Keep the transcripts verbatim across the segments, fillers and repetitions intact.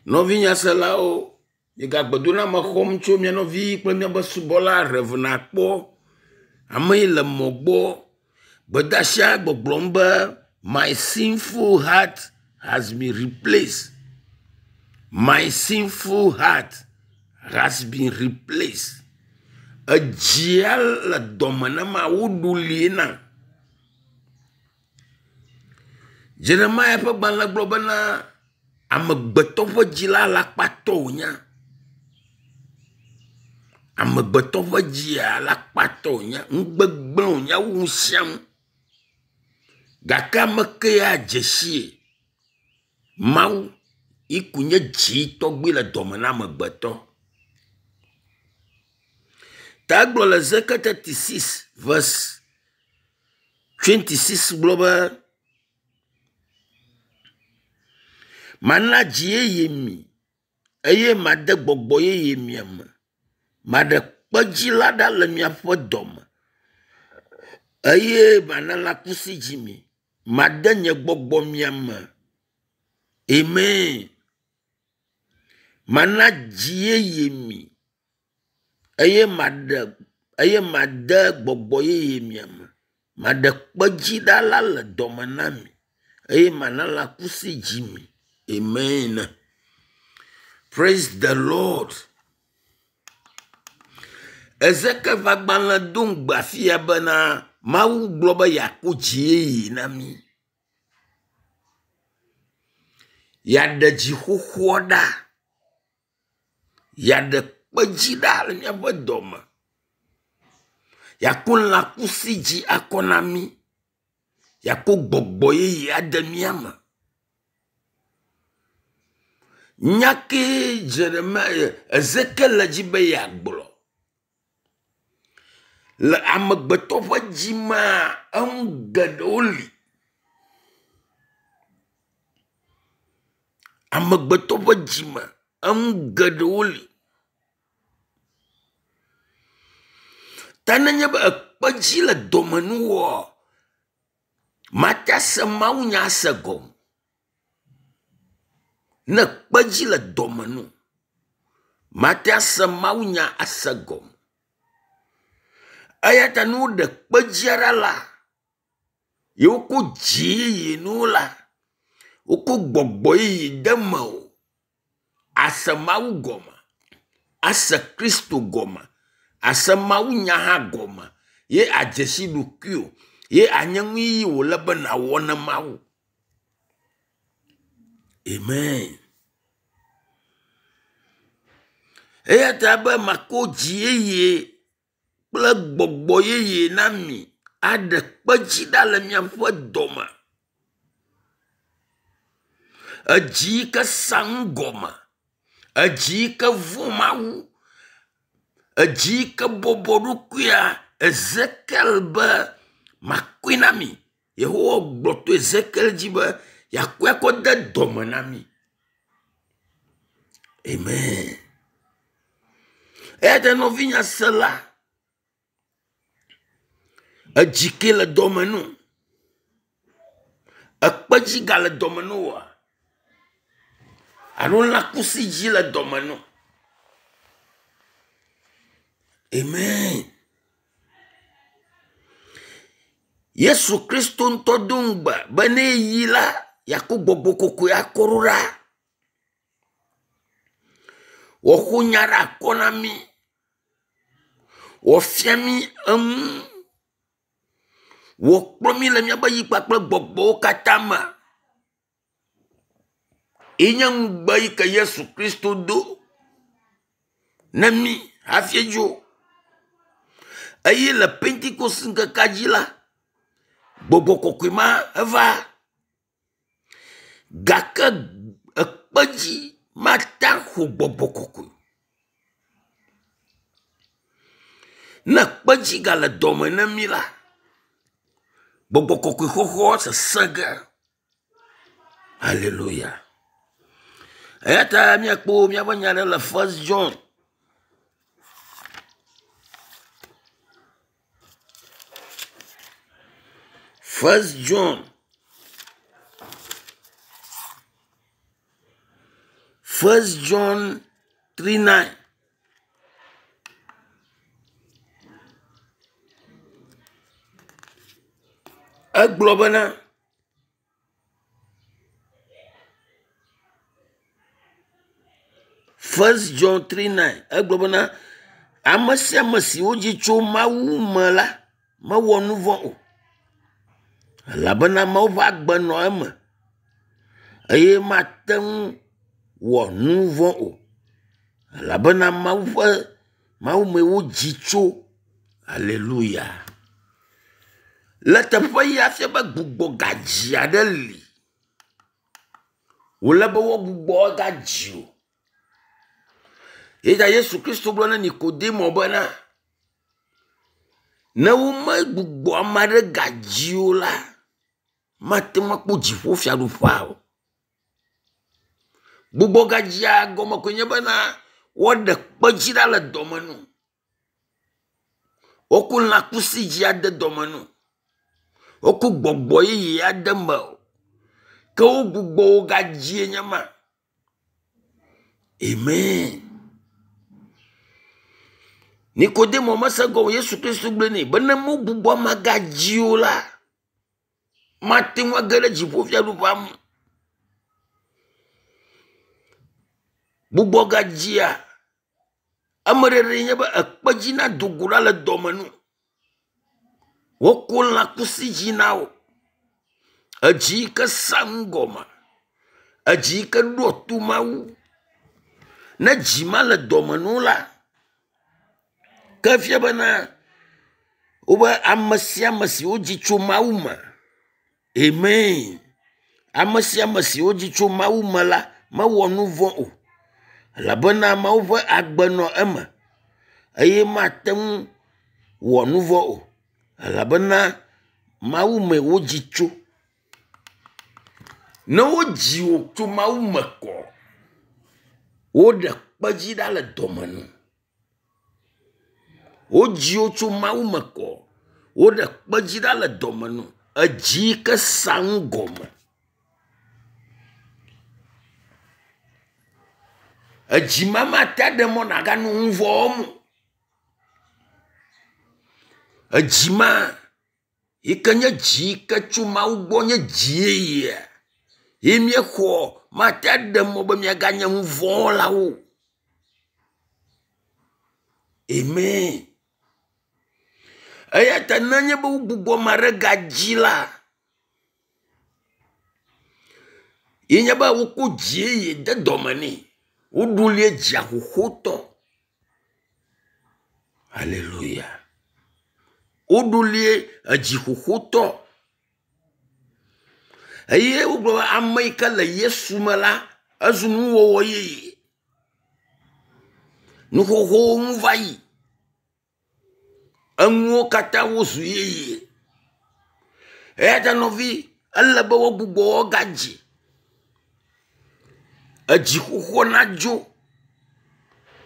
Nɔvinyaselawo, miegagbedo na ame xɔm tso mia nɔvi kple miabe subɔla Rev. Akpɔ. Ame yi le mɔ gbɔ. Gbedeasia gbɔgblɔm be my sinful heart has been replaced. My sinful heart has been replaced. Edzia le dɔme ne ma woɖu li na. Jeremia ƒe gbalẽ gblɔ bena amegbetɔ ƒe dzi la alakpatɔ wònye. Amegbetɔ ƒe dzia alakpatɔ wònye. Nugbegblẽ wònye wu nu sia nu. Gake ame ke ya dze sie Mawu yi ku nye dzi tɔgbi le dɔme na amegbetɔ. Ta egblɔ le Ezekiel thirty six verse twenty six gblɔ be mana dzi yeye mi eye made gbɔgbɔ yeye mia me. Maɖe kpedzi la ɖa le miaƒe dɔme eye mana lãkusi dzi mi. Made nye gbɔgbɔ mia me. Amen. Mana dzi yeye mi eye maɖe eye made gbɔgbɔ yeye mia me. Maɖe kpedzi ɖa la le dɔme na mi eye mana lãkusi dzi mi. Amen. Praise the Lord. Ezekiel ƒe agbalẽ do ŋugbe afia bena Mawu gblɔ be yeako dzi yeye na mi. Yeaɖe dzi xoxoa ɖa. Yeaɖe kpedzi ɖa le míaƒe dɔme. Yeako lãkusi dzi akɔ na mí. Yeako gbɔgbɔ yeye ade mía me. Nya kee Jeremia Ezekiel le dzi be yeagblɔ. Le amegbetɔ ƒe dzi mea, enu geɖewo li. Amegbetɔ ƒe dzi me, enu geɖewo li. Ta nenye be ekpedzi le dɔme nuwɔ, mate ase mawunya ase gɔme. Ne kpedzi le dɔme nu, mate ase mawunya ase gɔme. Eya ta ne woɖe kpedzia ɖa la, ye wokɔ dzi yeye nuwo la, wokɔ gbɔgbɔ yeye de me o. Ase Mawu gɔme, ase Kristo gɔme, ase mawunya hã gɔme ye adze si ɖokuiwò ye anye nu yi wòle be nàwɔ ne Mawu. Amen. Eya ta be makɔ dzi yeye kple gbɔgbɔ yeye na mi aɖe kpedzi ɖa le miaƒe dɔme. Edzi yi ke sa nu gɔme, edzi yi ke vɔ̃ Mawu, edzi yi ke bɔbɔ ɖokuia, Ezekiel be makɔe na mi. Yehowa gblɔ to Ezekiel dzi be yeakɔe akɔ de dɔme na mi. Amen. Eya ta nɔvinyasela, edzi ke le dɔme nu. Ekpedzi gale dɔme nu oa? Alo lãkusi dzi le dɔme nu? Amen. Yesu Kristo ŋutɔ do ŋugbe be ne eyi la, yeakɔ gbɔgbɔ kɔkɔe akɔ ɖo ɖa. Wòaxo nya ɖe akɔ na mí. Wòafia mí enu. Wòkplɔ mí le míaƒe yi kpakple gbɔgbɔwo katã me. Ye nye ŋugbe yi ke Yesu Kristo do ne mí hafi dzo. Eye le Pentekost ŋkekea dzi la, gbɔgbɔ kɔkɔe ma eva. Gake ekpedzi mate xo gbɔgbɔ kɔkɔe. Ne kpedzi gale dɔme ne mí la, gbɔgbɔ kɔkɔe xɔxɔ sesẽ ge. Hallelujah. Eya ta míakpɔ míaƒe nya ɖe le First John. First John. First John three nine. Egblɔ bena First John three nine. Egblɔ bena ame sia ame si wodzi tso Mawu me la mewɔ nu vɔ̃ o, elabena Mawu ƒe agbe nɔ eme eye mate ŋu wɔ nu vɔ̃ o, elabena Mawu ƒe Mawu mee wodzi tso. Hallelujah. Le teƒe ya fia be gbugbɔ gadzi aɖe li. Wòle be woagbugbɔ agadzi o. Eya Yesu Kristo gblɔ na Nikodemo bena ne womegbugbɔ ame aɖe gadzi o la, mate ŋu akpɔ dziƒofiaɖuƒea o. Gbugbɔ gadzia gɔme koe nye bena woaɖe kpedzi ɖa le dɔme nu. Woko lãkusi dzi ade dɔme nu. Woko gbɔgbɔ yeye ade me o. Ke wogbugbɔ wo gadzie nye ma. Amen. Nikodemo mese gɔme Yesu Kristo gblɔe nɛ be ne wogbugbɔ ame gadzi o la, mate ŋu age ɖe dziƒofiaɖuƒea me. Gbugbɔ gadzia, ame ɖeɖee nye be ekpedzi nado go ɖa le dɔme nu. Woko lãkusi dzi na wo. Edzi yi ke sa nu gɔme. Edzi yi ke ɖoa to Mawu. Ne dzi ma le dɔme nu la, ke fia bena wobe ame sia ame si wodzi tso Mawu me. Amen. Ame sia ame si wodzi tso Mawu me la mewɔ nu vɔ̃ o, elabena Mawu ƒe agbe nɔ eme eye mate ŋu wɔ nu vɔ̃ o, elabena Mawu mee wodzi tso. Ne wodzi wò tso Mawu me kɔ, woɖe kpedzi ɖa le dɔme nu. Wodzi wò tso Mawu me kɔ, woɖe kpedzi ɖa le dɔme nu. Edzi yi ke sa nu gɔme. Edzi ma mate aɖe mɔ nàganɔ nu vɔ̃ wɔm o. Edzi ma yi ke nye dzi yi ke tso Mawu gbɔ nye dzi yeyea ye míexɔ mate aɖe mɔ be míaganye nu vɔ̃ wɔlawo. Amen. Eya ta nenye be wogbugbɔ ame aɖe gadzi la, ye nye be woko dzi yeye de dɔme nɛ. Woɖo li dzia xoxotɔ. Hallelujah. Woɖo li edzi xoxotɔ. Eye wogblɔ be ame yi ke le Yesu me la, ezu nuwɔwɔ yeye. Nu xoxowo nu va yi. Enuwo katã wozu yeye. Eya ta nɔvi, ele be woagbugbɔ woagadzi. Edzi xoxo nadzo.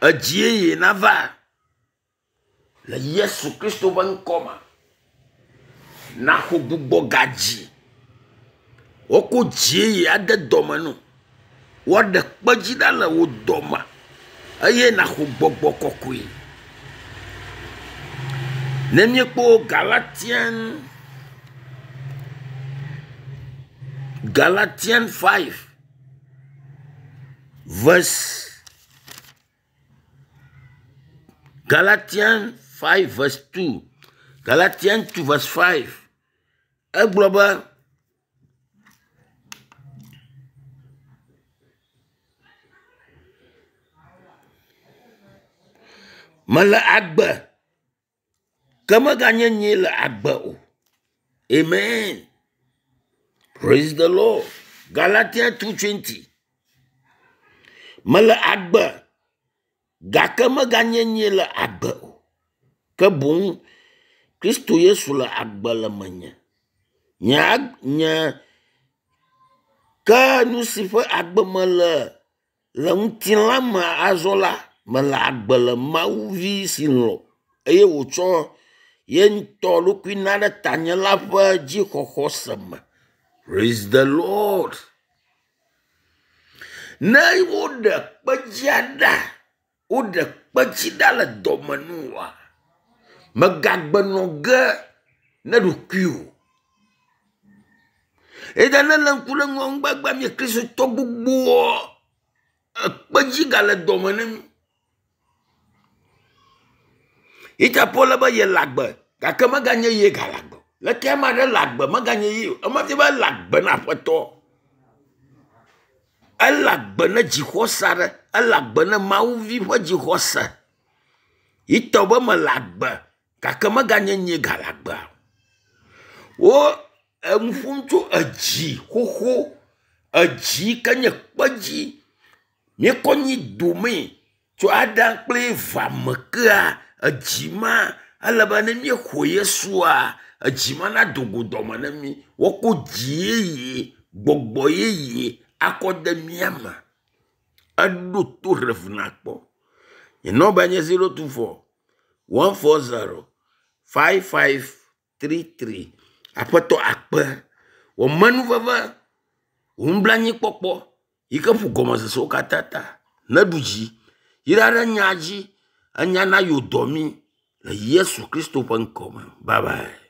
Edzi yeye nava. Le Yesu Kristo ƒe ŋkɔ me. Naxɔ gbugbɔ gadzi. Woko dzi yeye ade dɔme nu. Woaɖe kpedzi ɖa le wò dɔme eye naxɔ gbɔgbɔ kɔkɔe. Ne míekpɔ Galatian Galatian five verse Galatian five verse two Galatian two verse five egblɔ be mele agbe ke meganye nyee le agbe o. Amen. Praise the Lord. Galatians two twenty. Mele agbe gake meganye nyee le agbe o. Ke boŋ Kristo Yesu le agbe le menye. Nye nye ke nu si ƒe agbe mele le ŋutilã me azɔ la, mele agbe le Mawu vi si lɔ̃ eye wòtsɔ ye ŋutɔ ɖokui na ɖe tanye la ƒe dzixɔxɔse me. Praise the Lord. Ne woɖe kpedzia ɖa, woɖe kpedzi ɖa le dɔme nu oa, megagbenɔ ge ne ɖokuiwò. Eya ne le ŋku ɖe ŋua ŋgbagba mi kristotɔ gbogboa, ekpedzi gale dɔme ne mi. Ita Paul be yele agbe gake meganye ye gale agbe. Leke ame aɖe le agbe meganye ye o. Ema fia be ele agbe na aƒetɔ. Ele agbe ne dzixɔse aɖe. Ele agbe ne mawuvi ƒe dzixɔse. Yitɔ be mele agbe gake meganye nye gale agbea. Wo enu ƒom tso edzi xoxo, edzi ke nye kpedzi. Míekɔ nyi domee tso Adam kple Eva me kea edzi ma ele be ne míexɔ Yesua, edzi ma nado go dɔme ne mí. Woako dzi yeye, gbɔgbɔ yeye akɔ de mía me. Eɖo to Rev nakpɔ. Nye nɔmba nye zero two four one four zero five five three three. Aƒetɔ akpe wò menuveve, wò nublanuikpɔkpɔ yi ke ƒo gɔmesesewo katã ta. Neɖu dzi. Yra ɖe nya dzi. Enya na yewo dɔ mí le Yesu Kristo ƒe ŋkɔ me. Bye bye.